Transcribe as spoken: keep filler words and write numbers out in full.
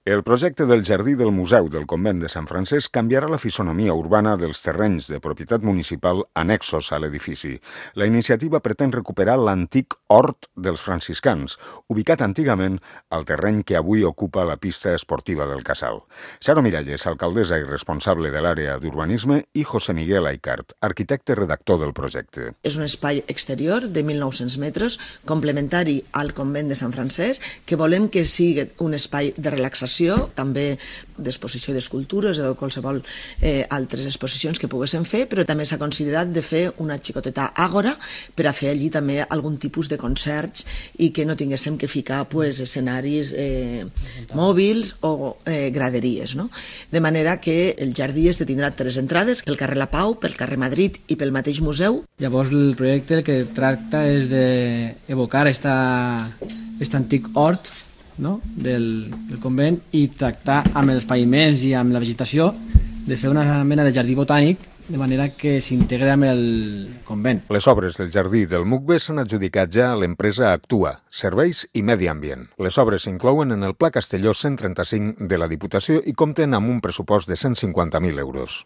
El projecte del jardí del Museu del Convent de Sant Francesc canviarà la fisonomia urbana dels terrenys de propietat municipal annexos a l'edifici. La iniciativa pretén recuperar l'antic hort dels franciscans, ubicat antigament al terreny que avui ocupa la pista esportiva del Casal. Xaro Miralles, alcaldessa i responsable de l'àrea d'urbanisme, i José Miguel Aicart, arquitecte redactor del projecte. És un espai exterior de mil nou-cents metres, complementari al Convent de Sant Francesc, que volem que sigui un espai de relaxació, també d'exposició d'escultures o de qualsevol eh, altres exposicions que poguéssim fer, però també s'ha considerat de fer una xicoteta àgora per a fer allí també algun tipus de concerts i que no tinguéssim que ficar pues, escenaris eh, mòbils o eh, graderies. No? De manera que el jardí este tindrà tres entrades, pel carrer La Pau, pel carrer Madrid i pel mateix museu. Llavors el projecte el que tracta és d'evocar aquest antic hort, no? del, del convent i tractar amb els paviments i amb la vegetació de fer una mena de jardí botànic de manera que s'integra amb el convent. Les obres del jardí del M U C B s'han adjudicat ja a l'empresa Actua, Serveis i Medi Ambient. Les obres s'inclouen en el Pla Castelló cent trenta-cinc de la Diputació i compten amb un pressupost de cent cinquanta mil euros.